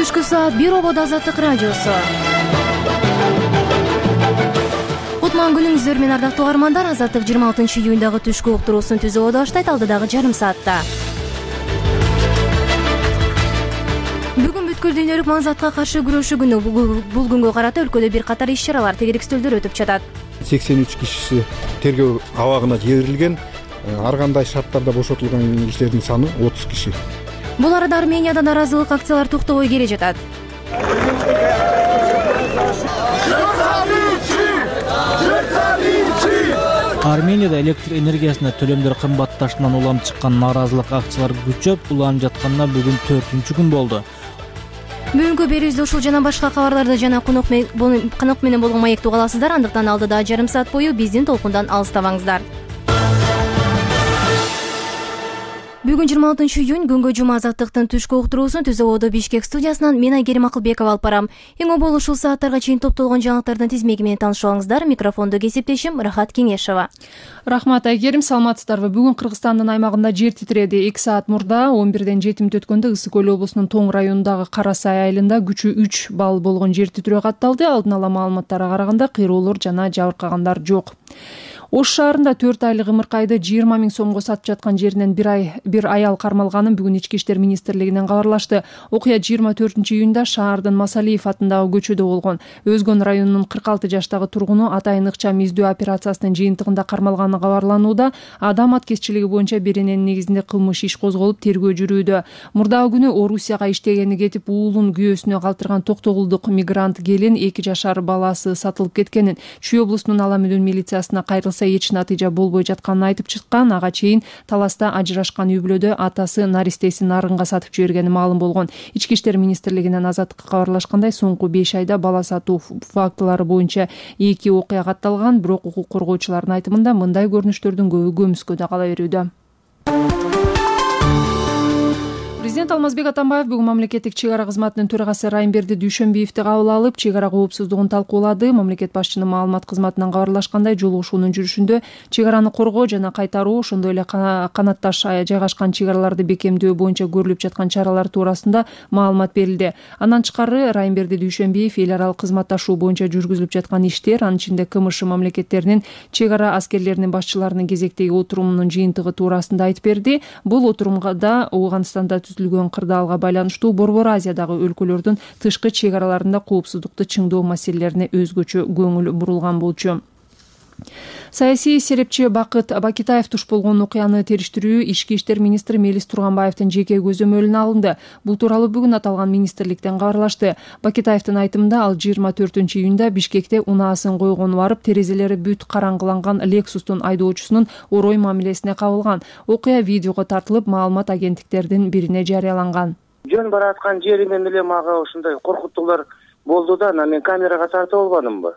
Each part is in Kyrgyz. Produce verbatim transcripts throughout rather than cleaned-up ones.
түшкү саат бир обод Азаттык радиосу. Кутман күнүңүздөр менен ардактуу угармандар. Азаттык жыйырма алтынчы июндагы түшкү уктуруусун түзүүгө баштайт алдыдагы жарым саатта. Бүгүн бүткүл дүйнөлүк маңзатка каршы күрөшүү күнү. Бул күнгө карата өлкөдө бир катар иш-чаралар, тегеректөөлдөр өтүп жатат. сексен үч кишиси тергөө абагына жиберилген. Ар кандай шарттарда бошотулган кишилердин саны отуз киши. Бул арада Арменияда наразылык акциялар токтобой келе жатат. Арменияда электр энергиясына төлөмдөр кымбатташынан улам чыккан наразылык акциялар күчөп, уланып жатканына бүгүн төртүнчү күн болду. Бүгүнкү берүүбүздө ушул жана башка кабарларды жана конок менен болгон маекти уга аласыздар. Андыктан алдыда жарым саат бою биздин толкундан алыстабаңыздар. Бүгүн жыйырма алтынчы июнь күнгө жума Азаттыктын түшкү уктуруусун Түз ободо Бишкек студиясынан мен Айгерим Акылбекова алып барам. Эң обол ушул сааттарга чейин топтолгон жаңылыктардын тизмеги менен таанышып алыңыздар. Микрофонду кесиптешим Рахат Кеңешова. Рахмат Айгерим, саламатсыздарбы? Бүгүн Кыргызстандын аймагында жер титиреди. эки саат мурда он бирден жети мүнөт өткөндө Ысык көл облусунун Тоң районундагы Кара Сай айылында күчү үч балл болгон жер титирөө катталды. Алдын ала маалыматтарга караганда кыйроолор жана жабыркагандар жок. Ош шаарында төрт айлык ымыркайды жыйырма миң сомго сатып жаткан жеринен бир ай бир аял кармалганын бүгүн Ички иштер министрлигинен кабарлашты. Окуя жыйырма төртүнчү июнда шаардын Масалиев атындагы көчөдө болгон. Өзгөн районунун кырк алты жаштагы тургуну атайын ыкчам издөө операциясынын жыйынтыгында кармалганы кабарланууда. Адам аткезчилиги боюнча берененин негизинде кылмыш иш козголуп, тергөө жүрүүдө. Мурдагы күнү Орусияга иштегени кетип, уулун күйөөсүнө калтырган токтогулдук мигрант келин эки жашар баласы сатылып кеткенин, Чүй облусунун Ала Мүдүн милициясына кайрылса эч натыйжа болбой жатканын айтып чыккан. Ага чейин таласта ажырашкан үй бүлөдө атасы наристесин нарынга сатып жибергени маалым болгон. Ички иштер министрлигинен Азаттыкка кабарлашкандай, соңку беш айда бала сатуу фактылары боюнча эки окуя катталган, бирок укук коргоочулардын айтымында мындай көрүнүштөрдүн көбү көмүскөдө кала берүүдө. Президент Алмазбек Атамбаев бүгүн мамлекеттик чек ара кызматынын төрагасы Райымберди Дүйшөнбиевди кабыл алып, чек ара коопсуздугун талкуулады. Мамлекет башчынын маалымат кызматынан кабарлашкандай, жолугушуунун жүрүшүндө чек араны коргоо жана кайтаруу, ошондой эле канатташ жайгашкан чек араларды бекемдөө боюнча көрүлүп жаткан чаралар туурасында маалымат берилди. Андан тышкары Райымберди Дүйшөнбиев эл аралык кызматташуу боюнча жүргүзүлүп жаткан иштер, анын ичинде КМШ мамлекеттеринин чек ара аскерлеринин башчыларынын кезектеги отурумунун жыйынтыгы туурасында айтып берди. Бул отурумда Ооганстанда түзүлгөн кырдаалга байланыштуу Борбор Азиядагы өлкөлөрдүн тышкы чек араларында коопсуздукту чыңдоо маселелерине өзгөчө көңүл бурулган болчу. Саясий серепчи Бакыт Бакитаев туш болгон окуяны териштирүү Ички иштер министри Мелис Турганбаевдин жеке көзөмөлүнө алынды. Бул тууралуу бүгүн аталган министрликтен кабарлашты. Бакитаевдин айтымында, ал жыйырма төртүнчү июнда Бишкекте унаасын койгону барып, терезелери бүт караңгыланган Лексустун айдоочусунун орой мамилесине кабылган. Окуя видеого тартылып, маалымат агенттиктердин бирине жарыяланган. Жөн бараткан жеримен эле мага ушундай коркутуулар болду да, анан мен камерага тартып албадымбы?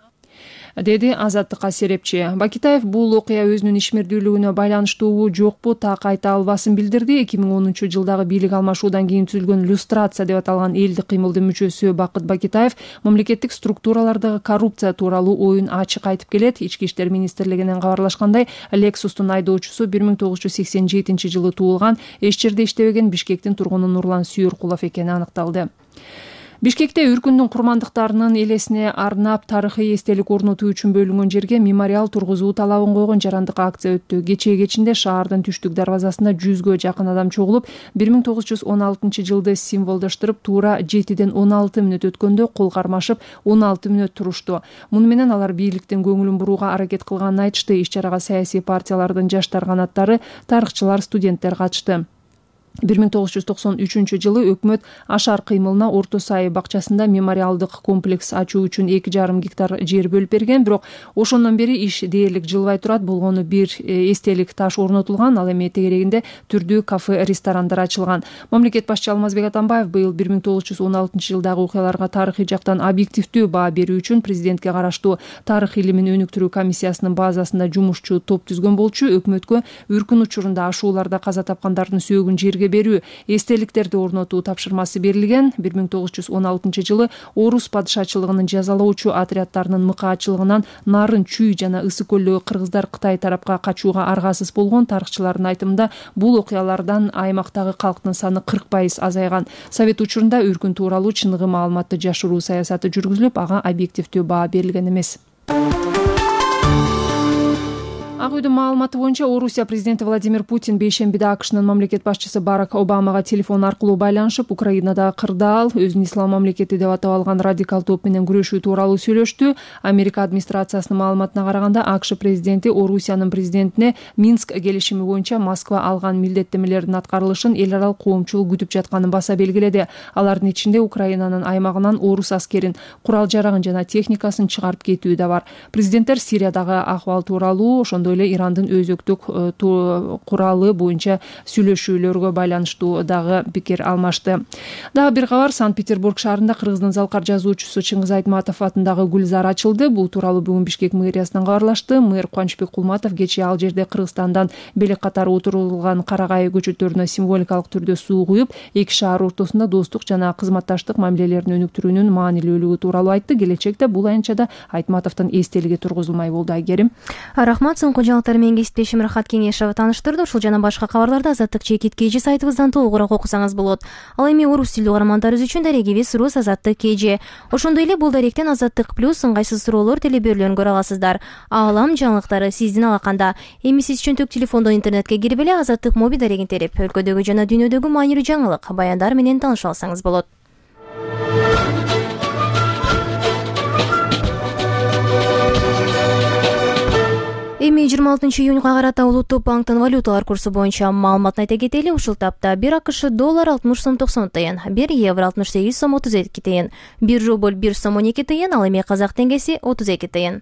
Деди Азаттыкка серепчи. Бакитаев бул окуя өзүнүн ишмердүүлүгүнө байланыштуубу жокпу так айта албасын билдирди. эки миң онунчу жылдагы бийлик алмашуудан кийин түзүлгөн люстрация деп аталган элдик кыймылдын мүчөсү Бакыт Бакитаев мамлекеттик структуралардагы коррупция тууралуу оюн ачык айтып келет. Ички иштер министрлигинен кабарлашкандай, Лексустун айдоочусу бир миң тогуз жүз сексен жетинчи жылы туулган, эч жерде иштебеген Бишкектин тургуну Нурлан Сүйөркулов экени аныкталды. Бишкекте үркүндүн курмандыктарынын элесине арнап тарыхый эстелик орнотуу үчүн бөлүнгөн жерге мемориал тургузуу талабын койгон жарандык акция өттү. Кечээ кечинде шаардын түштүк дарбазасында жүзгө жакын адам чогулуп, бир миң тогуз жүз он алтынчы жылды символдоштуруп, туура жетиден он алты мүнөт өткөндө кол кармашып он алты мүнөт турушту. Муну менен алар бийликтин көңүлүн бурууга аракет кылганын айтышты. Иш-чарага саясий партиялардын жаштар канаттары, тарыхчылар, студенттер катышты. бир миң тогуз жүз токсон үчүнчү жылы өкмөт Ашар кыймылына Орто Сай бакчасында мемориалдык комплекс ачуу үчүн эки жарым гектар жер бөлүп берген, бирок ошондон бери иш дээрлик жылбай турат. Болгону бир эстелик таш орнотулган, ал эми тегерегинде түрдүү кафе, ресторандар ачылган. Мамлекет башчы Алмазбек Атамбаев быйыл бир миң тогуз жүз он алтынчы жылдагы окуяларга тарыхый жактан объективдүү баа берүү үчүн президентке караштуу тарых илимин өнүктүрүү комиссиясынын базасында жумушчу топ түзгөн болчу. Өкмөткө үркүн учурунда ашууларда каза тапкандардын сөөгүн жерге элге берүү, эстеликтерди орнотуу тапшырмасы берилген. бир миң тогуз жүз он алтынчы жылы орус падышачылыгынын жазалоочу отряддарынын мыкаачылыгынан Нарын, Чүй жана Ысык көлдөгү кыргыздар Кытай тарапка качууга аргасыз болгон. Тарыхчылардын айтымында бул окуялардан аймактагы калктын саны кырк пайыз азайган. Совет учурунда өркүн тууралуу чыныгы маалыматты жашыруу саясаты жүргүзүлүп, ага объективдүү баа берилген эмес. Ак үйдүн маалыматы боюнча Орусия президенти Владимир Путин бейшембиде АКШнын мамлекет башчысы Барак Обамага телефон аркылуу байланышып, Украинадагы кырдаал, өзүн ислам мамлекети деп атап алган радикал топ менен күрөшүү тууралуу сөйлөштү. Америка администрациясынын маалыматына караганда, АКШ президенти Орусиянын президентине Минск келишими боюнча Москва алган милдеттенмелердин аткарылышын эл аралык коомчулук күтүп жатканын баса белгиледи. Алардын ичинде Украинанын аймагынан орус аскерин, курал жарагын жана техникасын чыгарып кетүү да бар. Президенттер Сириядагы акыбал тууралуу, ошондой эле Ирандын өзөктүк куралы боюнча сүйлөшүүлөргө байланыштуу дагы пикир алмашты. Дагы бир кабар, Санкт-Петербург шаарында Кыргыздын залкар жазуучусу Чыңгыз Айтматов атындагы гүлзар ачылды. Бул тууралуу бүгүн Бишкек мэриясынан кабарлашты. Мэр Кубанычбек Кулматов кечээ ал жерде Кыргызстандан белек катары отурулган карагай көчөттөрүнө символикалык түрдө суу куюп, эки шаар ортосунда достук жана кызматташтык мамилелерин өнүктүрүүнүн маанилүүлүгү тууралуу айтты. Келечекте бул аянтчада Айтматовдун эстелиги тургузулмай болду. Айгерим. Рахмат. Соңку жаңылыктар менен кесиптешим Рахат Кеңешова тааныштырды. Ушул жана башка кабарларды Азаттык чекит кж сайтыбыздан толугураак окусаңыз болот. Ал эми орус тилдүү каармандарыбыз үчүн дарегибиз Рус Азаттык кж. Ошондой эле бул даректен Азаттык плюс ыңгайсыз суроолор телеберүүлөрүн көрө аласыздар. Аалам жаңылыктары сиздин алаканда. Эми сиз чөнтөк телефондон интернетке кирип эле Азаттык моби дарегин терип, өлкөдөгү жана дүйнөдөгү маанилүү жаңылык, баяндар менен тааныша алсаңыз болот. Эми жыйырма алтынчы июнга карата Улуттук банктын валюталар курсу боюнча маалыматын айта кетели. Ушул тапта бир АКШ доллар алтымыш сом токсон тыйын, бир евро алтымыш сегиз сом отуз эки тыйын, бир рубль бир сом он эки тыйын, ал эми казак теңгеси отуз эки тыйын.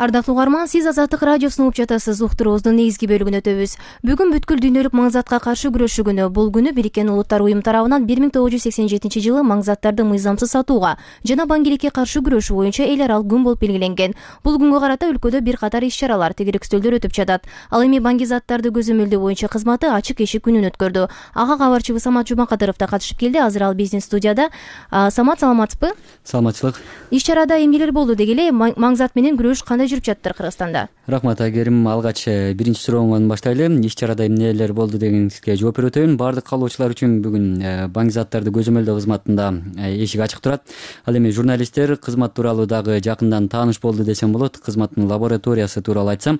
Ардактуу угарман, сиз Азаттык радиосун угуп жатасыз. Уктуруубуздун негизги бөлүгүн өтөбүз. Бүгүн бүткүл дүйнөлүк маңзатка каршы күрөшүү күнү. Бул күнү Бириккен Улуттар уюму тарабынан бир миң тогуз жүз сексен жетинчи жылы маңзаттарды мыйзамсыз сатууга жана баңгиликке каршы күрөшүү боюнча эл аралык күн болуп белгиленген. Бул күнгө карата өлкөдө бир катар иш-чаралар, тегеректөөлөр өтүп жатат. Ал эми баңги заттарды көзөмөлдөө боюнча кызматы ачык эшик күнүн өткөрдү. Ага кабарчыбыз Самат Жумакадыров да катышып келди. Азыр ал биздин студияда. Самат, саламатсызбы? Саламатчылык. Иш-чарада эмнелер болду дегеле, маңзат менен күрөш кандай жүрүп жатыр Кыргызстанда? Рахмат, Айгерим. Алгач биринчи сурооңон баштайлы. Иш-чарада эмнелер болду дегенге жооп берип өтөйүн. Баардык каалоочулар үчүн бүгүн баңги заттарды көзөмөлдөө кызматында эшик ачык турат. Ал эми журналисттер кызмат тууралуу дагы жакындан тааныш болду десем болот. Кызматтын лабораториясы тууралуу айтсам,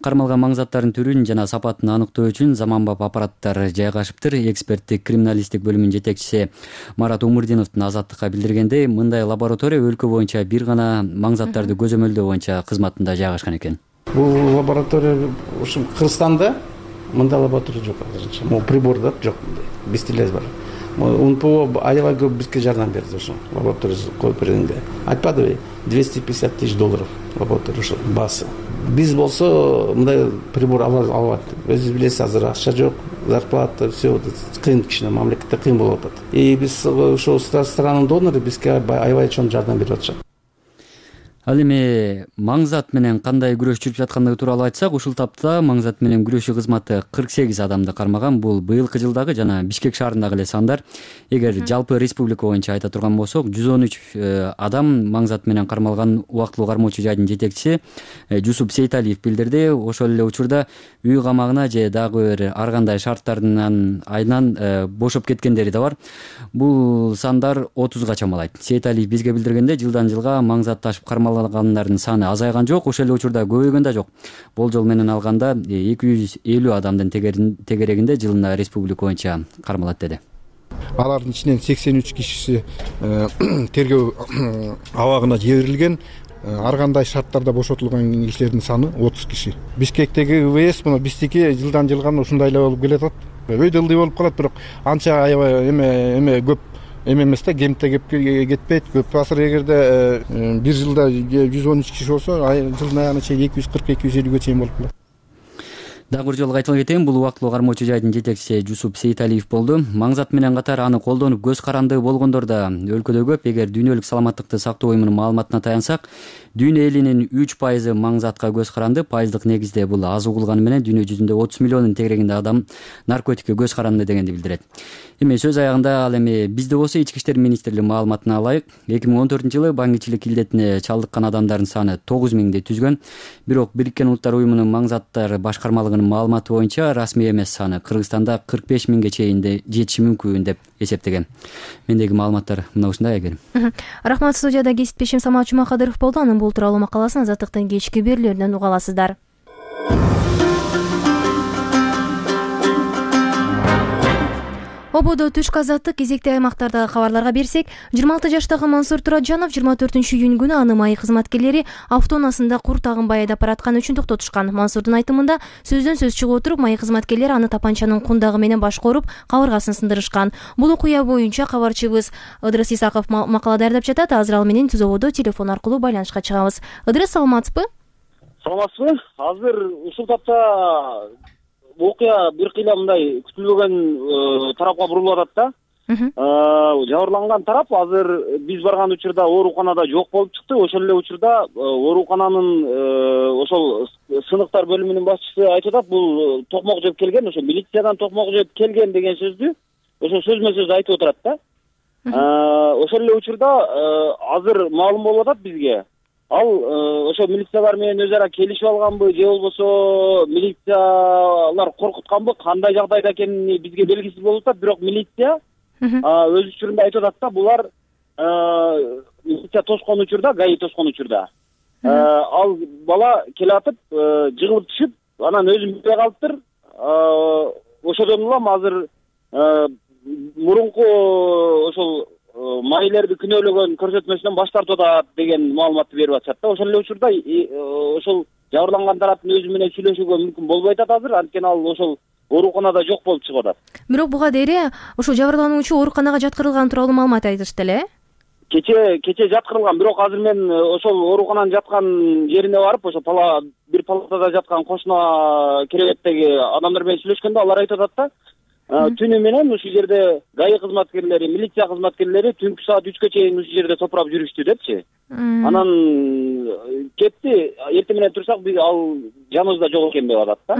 кармалган маң заттардын түрүн жана сапатын аныктоо үчүн заманбап аппараттар жайгашыптыр. Эксперттик криминалисттик бөлүмүнүн жетекчиси Марат Умурдиновдун Азаттыкка билдиргендей, мындай лаборатория өлкө боюнча бир гана маң заттарды көзөмөлдөө боюнча кызматында жайгашкан экен. Бул лаборатория ушу Кыргызстанда мындай лаборатория жок азырынча. Могу прибордор жок, бизде эле бар. УНПО аябай көп бизге жардам берди ошо лабораториясы коюп бергенде. Айтпадыбы, двести пятьдесят тысяч долларов лаборатория ошо басы. Биз болсо мындай прибор ала албайт. Өзүңүз билесиз, азыр акча жок, зарплата, все кыйын, кичине мамлекетте кыйын болуп атат. И биз ошо странанын донору бизге аябай чоң жардам берип атышат. Ал эми маңзат менен кандай күрөш жүрүп жаткандыгы тууралуу айтсак, ушул тапта маңзат менен күрөшүү кызматы кырк сегиз адамды кармаган. Бул быйылкы жылдагы жана Бишкек шаарындагы эле сандар. Эгер жалпы республика боюнча айта турган болсок, жүз он үч адам маңзат менен кармалган. Убактылуу кармоочу жайдын жетекчиси Жусуп Сейталиев билдирди. Ошол эле учурда үй камагына же дагы бир ар кандай шарттарынан айынан бошоп кеткендери да бар. Бул сандар отузга чамалайт. Сейталиев бизге билдиргенде, жылдан жылга маңзат ташып кармалгандардын саны азайган жок, ошол эле учурда көбөйгөн да жок. Болжол менен алганда эки жүз элүү адамдын тегерегинде жылына республика боюнча кармалат деди. Алардын ичинен сексен үч кишиси тергөө абагына жиберилген. Ар кандай шарттарда бошотулган кишилердин саны отуз киши. Бишкектеги ВС мына биздики жылдан жылга ушундай эле болуп келатат. Өйдө ылдый болуп калат, бирок анча аябай эме эме көп эме эмес да, кемте кетпейт. Көп азыр эгерде бир жылда жүз он үч киши болсо, жылдын аягына чейин эки жүз кырк эки жүз элүүгө чейин болуп калат. Дагы бир жолу кайталап кетейин, бул убактылуу кармоочу жайдын жетекчиси Жусуп Сейиталиев болду. Маңзат менен катар аны колдонуп көз каранды болгондор да өлкөдө көп. Эгер дүйнөлүк саламаттыкты сактоо уюмунун маалыматына таянсак, дүйнө элинин үч пайызы маңзатка көз каранды. Пайыздык негизде бул аз угулганы менен дүйнө жүзүндө отуз миллиондун тегерегинде адам наркотикке көз каранды дегенди билдирет. Эми сөз аягында ал эми бизде болсо Ички иштер министрлиги маалыматына алайык. эки миң он төртүнчү жылы баңгичилик илдетине чалдыккан адамдардын саны тогуз миңди түзгөн. Бирок Бириккен Улуттар уюмунун маңзаттар башкармалыгынын маалыматы боюнча расмий эмес саны Кыргызстанда кырк беш миңге чейин жетиши мүмкүн деп эсептеген. Мендеги маалыматтар мына ушундай Айгерим. Рахмат. Студияда кесиптешим Самат Жумакадыров болду. Анын бул тууралуу макаласын Азаттыктын кечки берүүлөрүнөн уга аласыздар. Ободо түшкү азаттык кезекти аймактардагы кабарларга берсек, жыйырма алты жаштагы Мансур Тураджанов жыйырма төртүнчү июнь күнү аны майы кызматкерлери автоунаасында кур тагынбай айдап баратканы үчүн токтотушкан. Мансурдун айтымында сөздөн сөз чыгып отуруп, майы кызматкерлери аны тапанчанын кундагы менен башка уруп, кабыргасын сындырышкан. Бул окуя боюнча кабарчыбыз Ыдырыс Исаков макала даярдап жатат. Азыр ал менен Түз ободо телефон аркылуу байланышка чыгабыз. Ыдырыс, саламатсызбы? Саламатсызбы? Азыр ушул тапта окуя бир кыйла мындай күтүлбөгөн тарапка бурулуп атат да. Жабырланган тарап азыр биз барган учурда ооруканада жок болуп чыкты. Ошол эле учурда оорукананын ошол сыныктар бөлүмүнүн башчысы айтып атат, бул токмок жеп келген, ошо милициядан токмок жеп келген деген сөздү ошо сөзмө сөз айтып отурат да. Ошол эле учурда азыр маалым болуп атат бизге. Ал ошо милициялар менен өз ара келишип алганбы, же болбосо милициялар коркутканбы, кандай жагдайда экени бизге белгисиз болуп атат. Бирок милиция өз учурунда айтып атат да, булар милиция тоскон учурда, ГАИ тоскон учурда ал бала келатып, жыгылып түшүп, анан өзүн билбей калыптыр. Ошодон улам азыр мурунку ошол майылерди күнөөлөгөн көрсөтмөсүнөн баш тартып атат деген маалыматты берип атышат да. Ошол эле учурда ошол жабырланган тараптын өзү менен сүйлөшүүгө мүмкүн болбой атат азыр, анткени ал ошол ооруканада жок болуп чыгып атат. Бирок буга дейре ошол жабырлануучу ооруканага жаткырылган тууралуу маалымат айтышты эле. Кече кече жаткырылган, бирок азыр мен ошол оорукананын жаткан жерине барып, ошо пала бир палатада жаткан кошуна керебеттеги адамдар менен сүйлөшкөндө алар айтып атат да, түнү менен ушул жерде ГАИ кызматкерлери, милиция кызматкерлери түнкү саат үчкө чейин ушул жерде топурап жүрүштү депчи. Анан кетти, эртең менен турсак биз ал жаныбызда жок экен деп атат да.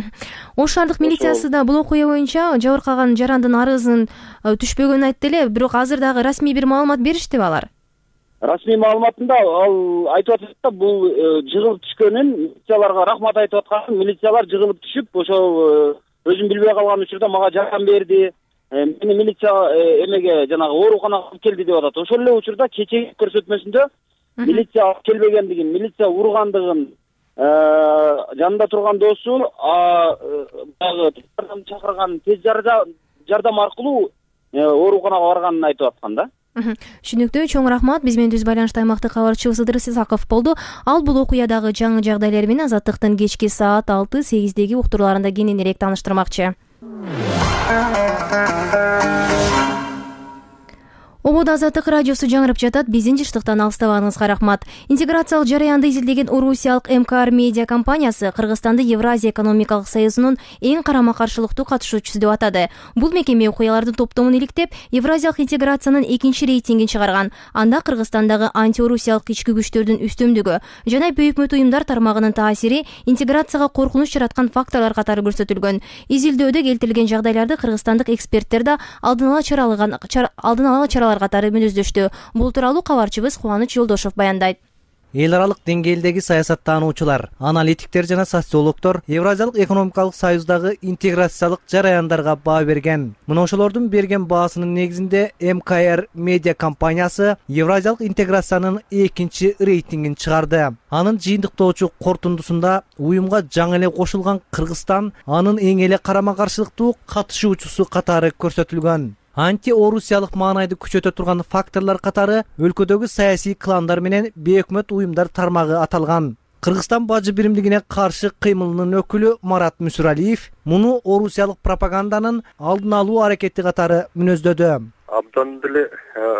Ош шаардык милициясы да бул окуя боюнча жабыркаган жарандын арызын түшпөгөнүн айтты эле, бирок азыр дагы расмий бир маалымат бериштиби алар? Расмий маалыматында ал айтып атат да, бул жыгылып түшкөнүн, милицияларга рахмат айтып атканын, милициялар жыгылып түшүп, ошол өзүн билбей калган учурда мага жардам берди, мени милиция эмеге жанагы ооруканага алып келди деп атат. Ошол эле учурда кечеги көрсөтмөсүндө милиция алып келбегендигин, милиция ургандыгын, жанында турган досу дагы чакырган тез жардам аркылуу ооруканага барганын айтып аткан да. Түшүнүктүү, чоң рахмат. Биз менен түз байланышта аймактык кабарчыбыз Ыдырыс Исаков болду. Ал бул окуядагы жаңы жагдайлар менен Азаттыктын кечки саат алты сегиздеги уктурууларында кененирээк тааныштырмакчы. Ободо Азаттык радиосу жаңырып жатат. Биздин жыштыктан алыстабагыңызга рахмат. Интеграциялык жараянды изилдеген Орусиялык эм ка ар медиа компаниясы Кыргызстанды Евразия экономикалык союзунун эң карама-каршылыктуу катышуучусу деп атады. Бул мекеме окуялардын топтомун иликтеп, Евразиялык интеграциянын экинчи рейтингин чыгарган. Анда Кыргызстандагы антиорусиялык ички күчтөрдүн үстөмдүгү жана бейөкмөт уюмдар тармагынын таасири интеграцияга коркунуч жараткан факторлор катары көрсөтүлгөн. Изилдөөдө келтирилген жагдайларды кыргызстандык эксперттер да алдын ала чаралган алдын ала чаралар катары мүнөздөштү. Бул тууралуу кабарчыбыз Кубаныч Жолдошов баяндайт. Эл аралык деңгээлдеги саясаттануучулар, аналитиктер жана социологдор Евразиялык экономикалык союздагы интеграциялык жараяндарга баа берген. Мына ошолордун берген баасынын негизинде эм ка ар медиа компаниясы Евразиялык интеграциянын экинчи рейтингин чыгарды. Анын жыйынтыктоочу корутундусунда уюмга жаңы эле кошулган Кыргызстан анын эң эле карама-каршылыктуу катышуучусу катары көрсөтүлгөн. Анти-орусиялык маанайды күчөтө турган факторлор катары өлкөдөгү саясий кландар менен бейөкмөт уюмдар тармагы аталган. Кыргызстан бажы биримдигине каршы кыймылынын өкүлү Марат Мүсүралиев муну орусиялык пропаганданын алдын алуу аракети катары мүнөздөдү. Абдан деле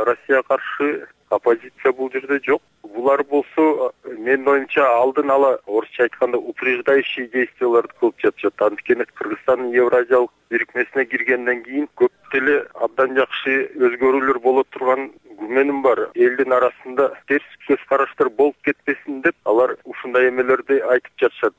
Россия каршы оппозиция бул жерде жок. Булар болсо менин оюмча алдын ала орусча айтканда упреждающий действияларды кылып жатышат. Анткени Кыргызстандын Евразиялык бирикмесине киргенден кийин көп деле абдан жакшы өзгөрүүлөр боло турган күмөнүм бар. Элдин арасында терс көз караштар болуп кетпесин деп алар ушундай эмелерди айтып жатышат.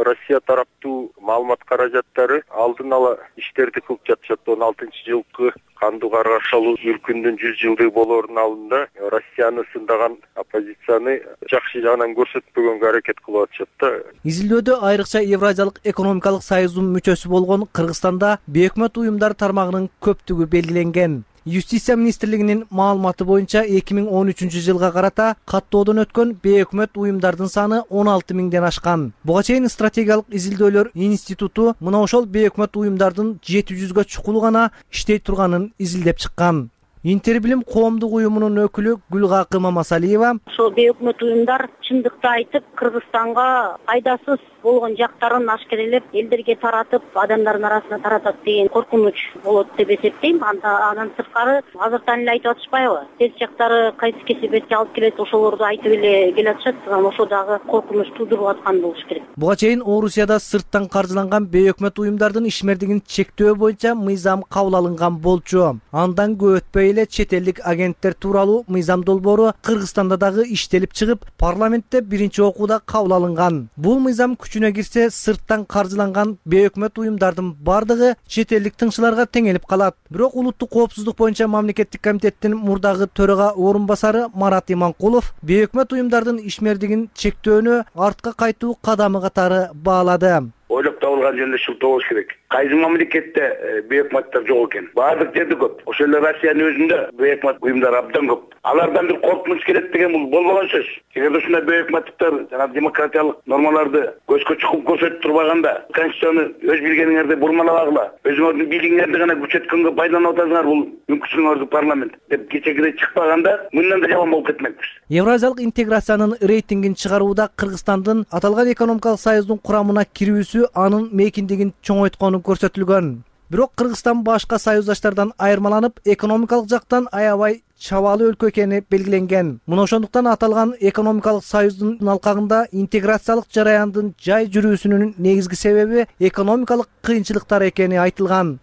Россия тараптуу маалымат каражаттары алдын ала иштерди кылып жатышат. он алтынчы жылкы кандуу каргашалуу үркүндүн жүз жылдыгы болоордун алдында Россияны сындаган оппозицияны жакшы жагынан көрсөтпөгөнгө аракет кылып атышат да. Изилдөөдө айрыкча Евразиялык экономикалык союздун мүчөсү болгон Кыргызстанда бейөкмөт уюмдар тармагынын көптүгү белгиленген. Юстиция министрлигинин маалыматы боюнча эки миң он үчүнчү жылга карата каттоодон өткөн бейөкмөт уюмдардын саны он алты миңден ашкан. Буга чейин стратегиялык изилдөөлөр институту мына ошол бейөкмөт уюмдардын жети жүзгө чукулу гана иштей турганын изилдеп чыккан. Интербилим коомдук уюмунун өкүлү Гүлгакы Мамасалиева ошол бейөкмөт уюмдар чындыкты айтып Кыргызстанга пайдасыз болгон жактарын ашкерелеп элдерге таратып, адамдардын арасына таратат деген коркунуч болот деп эсептейм. Андан сырткары азыртан эле айтып атышпайбы? Терс жактары кайсы кесепетке алып келет, ошолорду айтып эле келатышат. Ошо дагы коркунуч туудуруп аткан болуш керек. Буга чейин Орусияда сырттан каржыланган бейөкмөт уюмдардын ишмердигин чектөө боюнча мыйзам кабыл алынган болчу. Андан көп өтпөй эле чет элдик агенттер тууралуу мыйзам долбоору Кыргызстанда дагы иштелип чыгып, парламентте биринчи окууда кабыл алынган. Бул мыйзам күчүнө кирсе, сырттан каржыланган бейөкмөт уюмдардын бардыгы чет элдик тыңчыларга теңелип калат. Бирок улуттук коопсуздук боюнча мамлекеттик комитеттин мурдагы төрага орун басары Марат Иманкулов бейөкмөт уюмдардын ишмердигин чектөөнү артка кайтуу кадамы катары баалады. Ойлоп табылган жерде шылтоо болуш керек. Кайсы мамлекетте бейөкмөттөр жок экен? Баардык жерде көп. Ошол эле Россиянын өзүндө бейөкмөт уюмдар абдан көп. Алардан бир коркунуч келет деген бул болбогон сөз. Эгер ушундай бейөкмөттүктөр жана демократиялык нормаларды көзгө чукуп көрсөтүп турбаганда, конституцияны өз билгениңерди бурмалабагыла, өзүңөрдүн бийлигиңерди гана күчөткөнгө пайдаланып атасыңар, бул мүмкүнчүлүгүңөрдү парламент деп кечегидей чыкпаганда, мындан да жаман болуп кетмекпиз. Евразиялык интеграциянын рейтингин чыгарууда Кыргызстандын аталган экономикалык союздун курамына кирүүсү анын мейкиндигин чоңойткону көрсөтүлгөн. Бирок Кыргызстан башка союздаштардан айырмаланып, экономикалык жактан аябай чабаалуу өлкө экени белгиленген. Мына ошондуктан аталган экономикалык союздун алкагында интеграциялык жараяндын жай жүрүүсүнүн негизги себеби экономикалык кыйынчылыктар экени айтылган.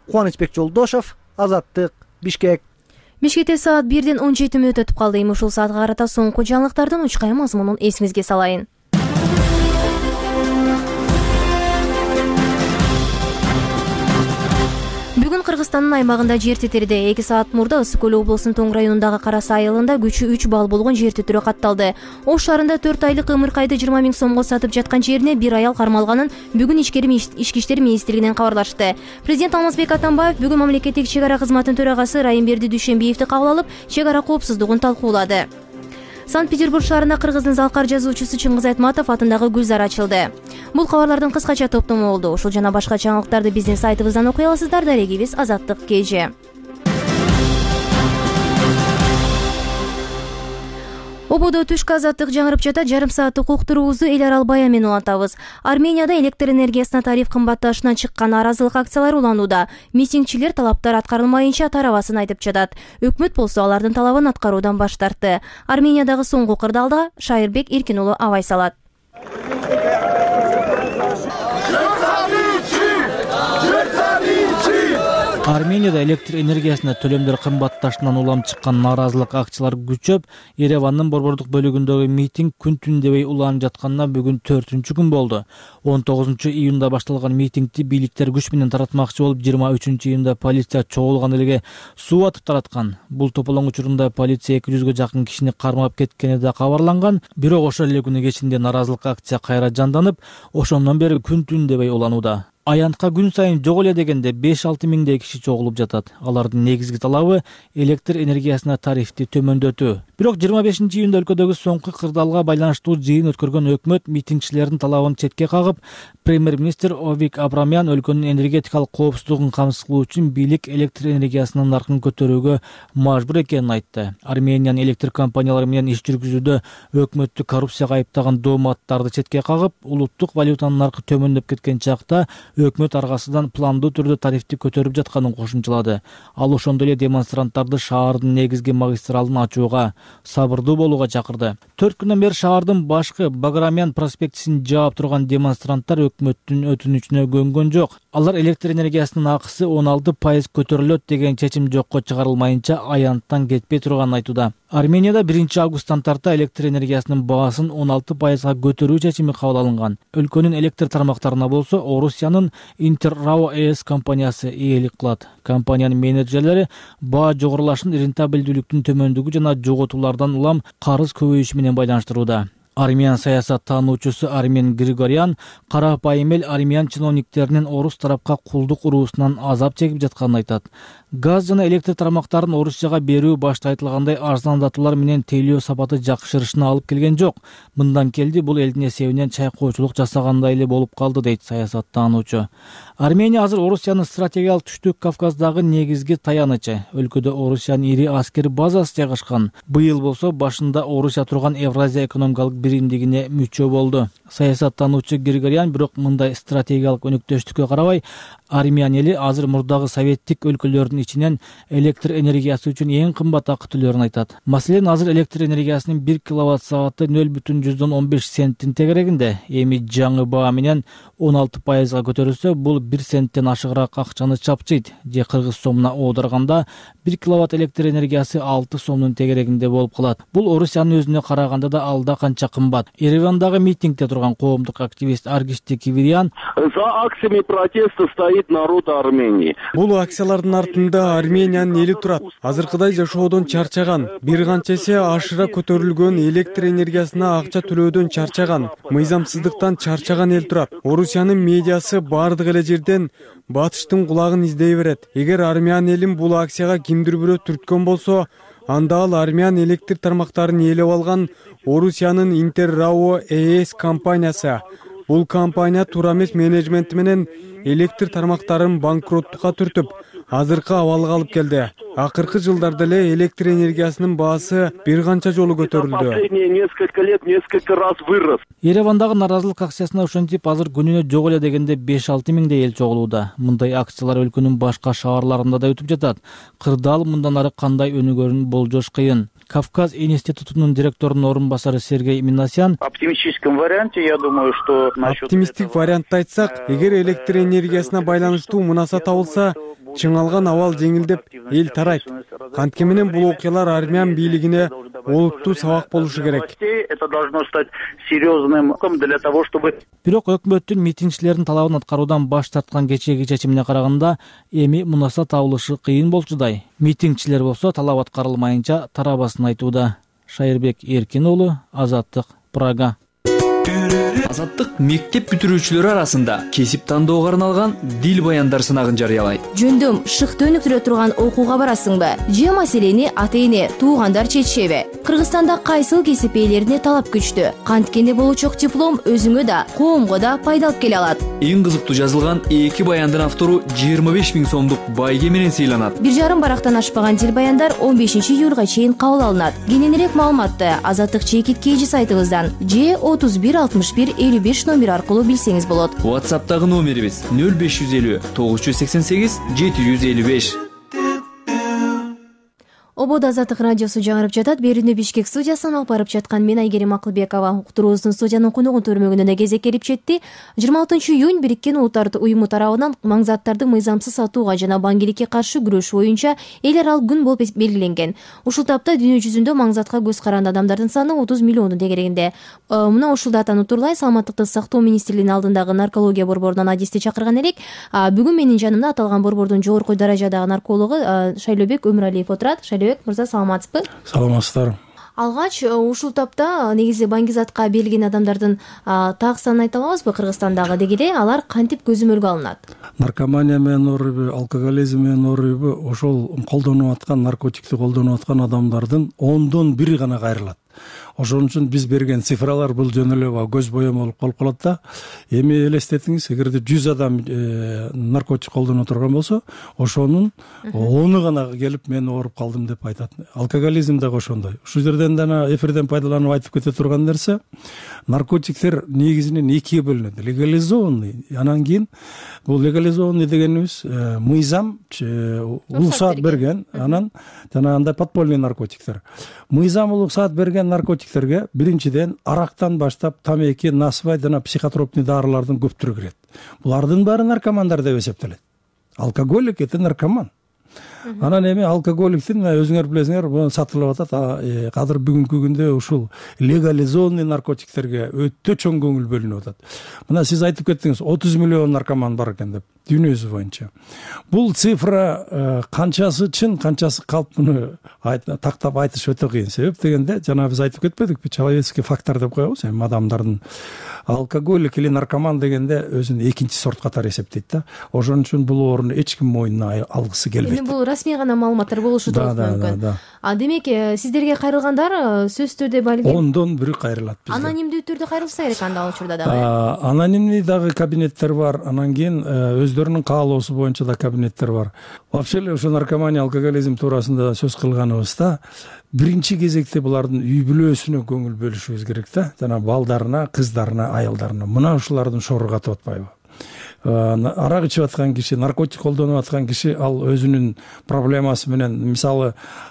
Кубанычбек Жолдошов, Азаттык, Бишкек. Бишкекте саат бирден он жети мүнөт өтүп калды. Эми ушул саатка карата соңку жаңылыктардын учкай мазмунун эсиңизге салайын. Бүгүн Кыргызстандын аймагында жер титирди. эки саат мурда Ысык Көл облусунун Тоң районундагы Кара Сай айылында күчү үч балл болгон жер титирөө катталды. Ош шаарында төрт айлык ымыркайды жыйырма миң сомго сатып жаткан жерине бир аял кармалганын бүгүн Ички иштер министрлигинен кабарлашты. Президент Алмазбек Атамбаев бүгүн мамлекеттик чек ара кызматынын төрагасы Райымберди Дүйшөнбиевди кабыл алып, чек ара коопсуздугун талкуулады. Санкт-Петербург шаарында Кыргыздын залкар жазуучусу Чыңгыз Айтматов атындагы Гүлзар ачылды. Бул кабарлардын кыскача топтому болду. Ушул жана башка жаңылыктарды биздин сайтыбыздан окуй аласыздар. Дарегибиз Азаттык КЖ. Ободо түшкү азаттык жаңырып жатат. Жарым сааттык уктуруубузду эл арал бая менен улантабыз. Арменияда электр энергиясына тариф кымбатташынан чыккан нааразылык акциялары уланууда. Митингчилер талаптар аткарылмайынча тарабасын айтып жатат. Өкмөт болсо алардын талабын аткаруудан баш тартты. Армениядагы соңку кырдаалда Шайырбек Эркин уулу абай салат. Арменияда электр энергиясына төлөмдөр кымбатташынан улам чыккан нааразылык акциялар күчөп, Еревандын борбордук бөлүгүндөгү митинг күн түн дебей уланып жатканына бүгүн төртүнчү күн болду. он тогузунчу июнда башталган митингди бийликтер күч менен таратмакчы болуп, жыйырма үчүнчү июнда полиция чогулган элге суу атып тараткан. Бул тополоң учурунда полиция эки жүзгө жакын кишини кармап кеткени да кабарланган. Бирок ошол эле күнү кечинде нааразылык акция кайра жанданып, ошондон бери күн түн дебей уланууда. Аянтка күн сайын жок эле дегенде беш алты миңдей киши чогулуп жатат. Алардын негизги талабы электр энергиясына тарифти төмөндөтүү. Бирок жыйырма бешинчи июнда өлкөдөгү соңку кырдаалга байланыштуу жыйын өткөргөн өкмөт митингчилердин талабын четке кагып, премьер-министр Овик Абрамян өлкөнүн энергетикалык коопсуздугун камсыз кылуу үчүн бийлик электр энергиясынын наркын көтөрүүгө мажбур экенин айтты. Армениянын электр компаниялары менен иш жүргүзүүдө өкмөттү коррупцияга айыптаган дооматтарды четке кагып, улуттук валютанын наркы төмөндөп кеткен чакта өкмөт аргасынан пландуу түрдө тарифти көтөрүп жатканын кошумчалады. Ал ошондой эле демонстранттарды шаардын негизги магистралын ачууга, сабырдуу болууга чакырды. төрт күндөн бери шаардын башкы Баграмян проспектисин жаап турган демонстранттар өкмөттүн өтүнүчүнө көнгөн жок. Алар электр энергиясынын акысы он алты пайыз көтөрүлөт деген чечим жокко чыгарылмайынча аянттан кетпей турганын айтууда. Арменияда биринчи августтан тарта электр энергиясынын баасын он алты пайызга көтөрүү чечими кабыл алынган. Өлкөнүн электр тармактарына болсо Орусиянын Интеррао ЭС компаниясы ээлик кылат. Компаниянын менеджерлери баа жогорулашын рентабелдүүлүктүн төмөндүгү жана жоготуулардан улам карыз көбөйүшү менен байланыштырууда. Армян саясат таануучусу Армен Григорян карапайым эл армян чиновниктеринин орус тарапка кулдук уруусунан азап чегип жатканын айтат. Газ жана электр тармактарын Орусияга берүү башта айтылгандай арзандатуулар менен тейлөө сапаты жакшырышына алып келген жок. Мындан келди бул элдин эсебинен чайкоочулук жасагандай эле болуп калды дейт саясат таануучу. Армения азыр Орусиянын стратегиялык түштүк Кавказдагы негизги таянычы. Өлкөдө Орусиянын ири аскер базасы жайгашкан. Быйыл болсо башында Орусия турган Евразия экономикалык биримдигине мүчө болду. Саясаттануучу Григорян бирок мындай стратегиялык өнөктөштүккө карабай, Армян эли азыр мурдагы советтик өлкөлөрдүн ичинен электр энергиясы үчүн эң кымбат акы төлөөрүн айтат. Маселен, азыр электр энергиясынын бир киловатт сааты нөл бүтүн жүздөн он беш центтин тегерегинде. Эми жаңы баа менен он алты пайызга көтөрүлсө, бул бир центтен ашыгыраак акчаны чапчыйт. Же кыргыз сомуна оодарганда бир киловатт электр энергиясы алты сомдун тегерегинде болуп калат. Бул Орусиянын өзүнө караганда да алда канча кымбат. Еревандагы митингде турган коомдук активист Аргишти Кивирян: "За акциями протеста стоит народ Армении." Бул акциялардын артында Армениянын эли турат. Азыркыдай жашоодон чарчаган, бир канча эсе ашыра көтөрүлгөн электр энергиясына акча төлөөдөн чарчаган, мыйзамсыздыктан чарчаган эл турат. Орусиянын медиасы бардык эле жерден батыштын кулагын издей берет. Эгер армян элин бул акцияга кимдир бирөө түрткөн болсо, анда ал армян электр тармактарын ээлеп алган Орусиянын Интеррао ЭС компаниясы. Бул компания Турамес менеджменти менен электр тармактарын банкроттукка түртүп, азыркы абалга алып келди. Акыркы жылдарда эле электр энергиясынын баасы бир канча жолу көтөрүлдү. Несколько лет, несколько раз вырос. Еревандагы наразылык акциясына ошентип азыр күнүнө жок эле дегенде беш алты миңдей эл чогулууда. Мындай акциялар өлкөнүн башка шаарларында да өтүп жатат. Кырдаал мындан ары кандай өнүгөрүн болжош кыйын. Кавказ институтунун директорунун орун басары Сергей Минасян: Оптимистическом варианте, я думаю, что оптимисттик вариантты айтсак, эгер электр энергиясына байланыштуу мунаса табылса, чыңалган абал жеңилдеп, эл тарайт. Кантке менен бул окуялар армян бийлигине олуттуу сабак болушу керек. Это должно стать серьезным для того, чтобы... Бирок өкмөттүн митингчилердин талабын аткаруудан баш тарткан кечээги чечимине караганда, эми мунаса табылышы кыйын болчудай. Митингчилер болсо талап аткарылмайынча тарабасын айтууда. Шайырбек Эркин уулу, Азаттык, Прага. Азаттык мектеп бүтүрүүчүлөрү арасында кесип тандоого арналган дил баяндар сынагын жарыялайт. Жөндөм шыкты өнүктүрө турган окууга барасыңбы? Же маселени ата-эне, туугандар чечишеби? Кыргызстанда кайсыл кесип ээлерине талап күчтүү? Канткенде болучок диплом өзүңө да, коомго да пайда алып келе алат. Эң кызыктуу жазылган эки баяндын автору жыйырма беш миң сомдук байге менен сыйланат. Бир жарым барактан ашпаган дил баяндар он бешинчи июлга чейин кабыл алынат. Кененирээк маалыматты Азаттык чекит кейжи сайтыбыздан же отуз бир алтымыш бир элүү беш номер аркылуу билсеңиз болот. WhatsApp'тагы номерибиз нөл беш жүз элүү тогуз жүз сексен сегиз жети жүз элүү беш. Обод Азаттык радиосу жаңырып жатат. Берүүнү Бишкек студиясынан алып барып жаткан мен Айгерим Акылбекова. Уктуруубуздун студиянын коногун төрмөгүнөн кезек келип жетти. жыйырма алтынчы июнь Бириккен Улуттар уюму тарабынан маңзаттарды мыйзамсыз сатууга жана баңгиликке каршы күрөш боюнча эл аралык күн болуп белгиленген. Ушул тапта дүйнө жүзүндө маңзатка көз каранды адамдардын саны отуз миллиондун тегерегинде. Мына ушул датаны турлай Саламаттыкты сактоо министрлигинин алдындагы наркология борборунан адисти чакырган элек. Бүгүн менин жанымда аталган борбордун жогорку даражадагы наркологу Шайлообек Өмүралиев отурат. Мырза, саламатсызбы? Саламатсыздар. Алгач ушул тапта негизи баңгизатка берилген адамдардын так санын айта алабызбы Кыргызстандагы деги эле алар кантип көзөмөлгө алынат? Наркомания менен ооруйбу, алкоголизм менен ооруйбу, ошол колдонуп аткан наркотикти колдонуп аткан адамдардын ондон бири гана кайрылат. ошон үчүн биз берген цифралар бул жөн эле көз боемо болуп калып калат да. Эми элестетиңиз, эгерде жүз адам наркотик колдоно турган болсо, ошонун ону гана келип мен ооруп калдым деп айтат. Алкоголизм дагы ошондой. Ушул жерден дана эфирден пайдаланып айтып кете турган нерсе, наркотиктер негизинен экиге бөлүнөт. Легализованный, анан кийин бул легализованный дегенибиз мыйзам уруксат берген, анан жана андай подпольный наркотиктер. Мыйзам уруксат берген наркотиктерге биринчиден арактан баштап тамеки, насыбай жана психотропный дарылардын көптүрү кирет. Булардын баары наркомандар деп эсептелет. Алкоголик это наркоман. Анан эми алкоголиктин өзүңөр билесиңер, буну сатылып атат. Азыр бүгүнкү күндө ушул легализованный наркотиктерге өтө чоң көңүл бөлүнүп атат. Мына сиз айтып кеттиңиз, отуз миллион наркоман бар экен деп, дүйнөсү боюнча. Бул цифра канчасы чын, канчасы калп, муну тактап айтыш өтө кыйын. Себеп дегенде, жана биз айтып кетпедикпи, человеческий фактор деп коебуз, эми адамдардын алкоголик или наркоман дегенде өзүн экинчи сорт катары эсептейт да. Ошон үчүн бул орунду эч ким мойнуна алгысы келбейт. Эми бул расмий гана маалыматтар болушу да мүмкүн. А демек, сиздерге кайрылгандар сөзсүз түрдө балгин ондон бири кайрылат бизде. Анонимдүү түрдө кайрылса керек анда ал учурда дагы. Анонимный дагы кабинеттер бар, анан кийин өздөрүнүн каалоосу боюнча да кабинеттер бар. Вообще эле ошо наркомания, алкоголизм туурасында сөз кылганыбызда биринчи кезекте булардын үй бүлөсүнө көңүл бөлүшүбүз керек да. Жана балдарына, кыздарына, аялдарына. Мына ушулардын шору катып атпайбы? Арак ичип аткан киши, наркотик колдонуп аткан киши ал өзүнүн проблемасы менен, мисалы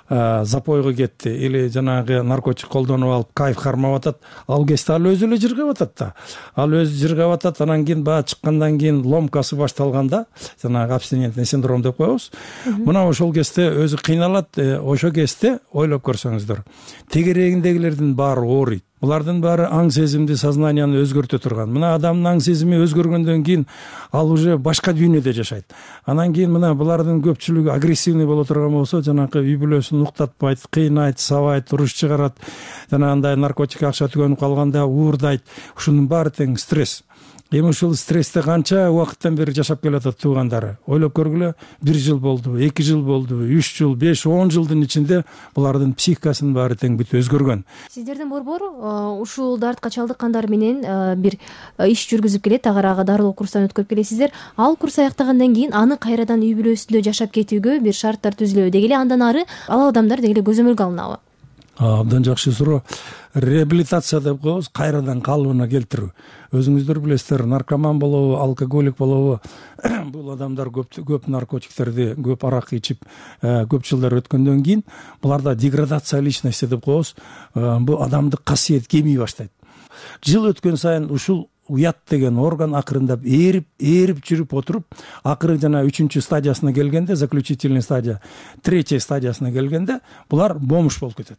запойго кетти или жанагы наркотик колдонуп алып кайф кармап атат, ал кезде ал өзү эле жыргап атат да. Ал өзү жыргап атат, анан кийин баа чыккандан кийин ломкасы башталганда, жанагы абстинентный синдром деп коебуз. Мына ошол кезде өзү кыйналат, ошол кезде ойлоп көрсөңүздөр, тегерегиндегилердин баары ооруйт. Булардын баары аң сезимди, сознанияны өзгөртө турган. Мына адамдын аң сезими өзгөргөндөн кийин ал уже башка дүйнөдө жашайт. Анан кийин мына булардын көпчүлүгү агрессивный боло турган болсо, жанагы үй бүлөсүн уктатпайт, кыйнайт, сабайт, уруш чыгарат. Жана андай наркотик акча түгөнүп калганда уурдайт. Ушунун баары тең стресс. Эми ушул стрессте канча убакыттан бери жашап келатат туугандары. Ойлоп көргүлө, бир жыл болдубу, эки жыл болдубу, үч жыл, беш, он жылдын ичинде булардын психикасынын баары тең бүт өзгөргөн. Сиздердин борбор ушул дартка чалдыккандар менен бир иш жүргүзүп келет, агарага дарылоо курстан өткөрүп келесиздер. Ал курс аяктагандан кийин аны кайрадан үй бүлөсүндө жашап кетүүгө бир шарттар түзүлөбү деги эле, андан ары ал адамдар деги эле көзөмөлгө алынабы? Абдан жакшы суроо. Реабилитация деп коебуз, кайрадан калыбына келтирүү. Өзүңүздөр билесиздер, наркоман болобу, алкоголик болобу, бул адамдар көп көп наркотиктерди, көп арак ичип, көп жылдар өткөндөн кийин буларда деградация личности деп коебуз. Бул адамдык касиет кемий баштайт. Жыл өткөн сайын ушул уят деген орган акырындап ээрип, ээрип жүрүп отуруп, акыры жана үчүнчү стадиясына келгенде, заключительный стадия, третья стадиясына келгенде булар бомж болуп кетет.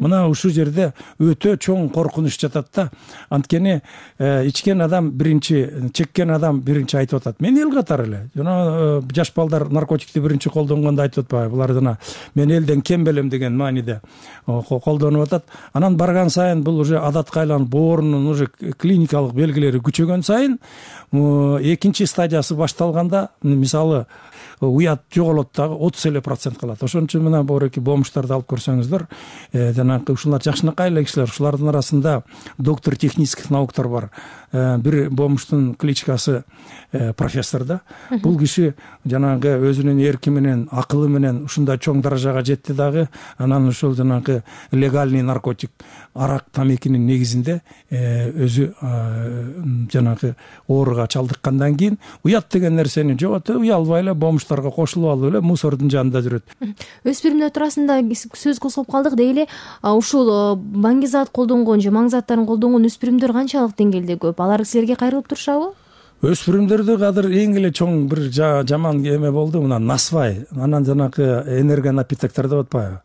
Мына ушул жерде өтө чоң коркунуч жатат да. Анткени ичкен адам биринчи, чеккен адам биринчи айтып атат. Мен эл катары эле. Жана жаш балдар наркотикти биринчи колдонгондо айтып атпайбы? Булар жана мен элден кем белем деген мааниде колдонуп атат. Анан барган сайын бул уже адатка айланып, боорунун уже клиникалык белгилери күчөгөн сайын экинчи стадиясы башталганда, мисалы уят жоголот дагы отуз эле процент калат. Ошон үчүн мына боореки бомждарды алып көрсөңүздөр, жанагы ушулар жакшынакай эле кишилер, ушулардын арасында доктор технических науктар бар. Бир бомждун кличкасы профессор да. Бул киши жанагы өзүнүн эрки менен, акылы менен ушундай чоң даражага жетти дагы. Анан ушул жанагы легальный наркотик, арак, тамекинин негизинде өзү жанагы ооруга чалдыккандан кийин уят деген нерсени жоготуп, уялбай эле бомждарга кошулуп алып эле мусордун жанында жүрөт. Өспүрүмдөр туурасында сөз козгоп калдык деги эле, ушул баңгизат колдонгон же маң заттарын колдонгон өспүрүмдөр канчалык деңгээлде көп? Алар силерге кайрылып турушабы? Өспүрүмдөрдө азыр эң эле чоң бир жаман эме болду, мына насвай, анан жанагы энергонапитоктор деп атпайбы?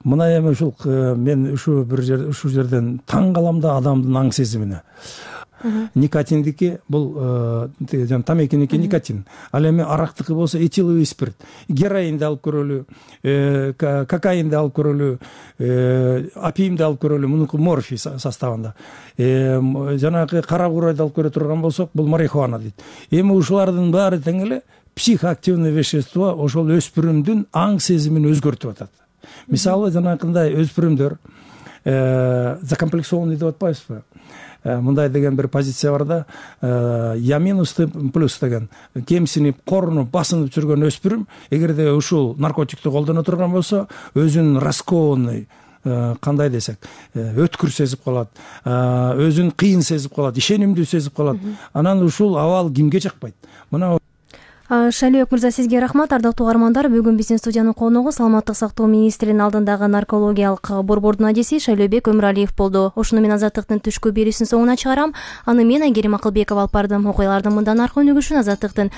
Мына эми ушул мен ушу бир жер ушул жерден таң калам да адамдын аң сезимине. Никотиндики бул жана тамекиники никотин. Ал эми арактыкы болсо этиловый спирт. Героинди алып көрөлү, кокаинди алып көрөлү, опиумди алып көрөлү, мунуку морфий составында. Жанагы кара курайды алып көрө турган болсок, бул марихуана дейт. Эми ушулардын баары тең эле психоактивный вещество ошол өспүрүмдүн аң сезимин өзгөртүп атат. Мисалы жанакындай өспүрүмдөр закомплексованный деп атпайбызбы, мындай деген бир позиция бар да, я минус плюс деген, кемсинип, корунуп, басынып жүргөн өспүрүм эгерде ушул наркотикти колдоно турган болсо, өзүн раскованный, кандай десек, өткүр сезип калат, өзүн кыйын сезип калат, ишенимдүү сезип калат. Анан ушул абал кимге жакпайт? Мына Шайлөөбек мырза, сизге рахмат. Ардактуу угармандар, бүгүн биздин студиянын коногу саламаттык сактоо министринин алдындагы наркологиялык борбордун адиси Шайлөөбек Өмүралиев болду. Ошону мен Азаттыктын түшкү берүүсүнүн соңуна чыгарам. Аны мен Айгерим Акылбекова алып бардым. Окуялардын мындан аркы өнүгүшүн Азаттыктын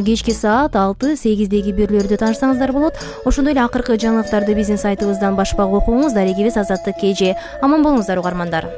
кечки саат алты сегиздеги берүүлөрдө таанышсаңыздар болот. Ошондой эле акыркы жаңылыктарды биздин сайтыбыздан башпак окуңуз. Дарегибиз Азаттык кей же. Аман болуңуздар угармандар.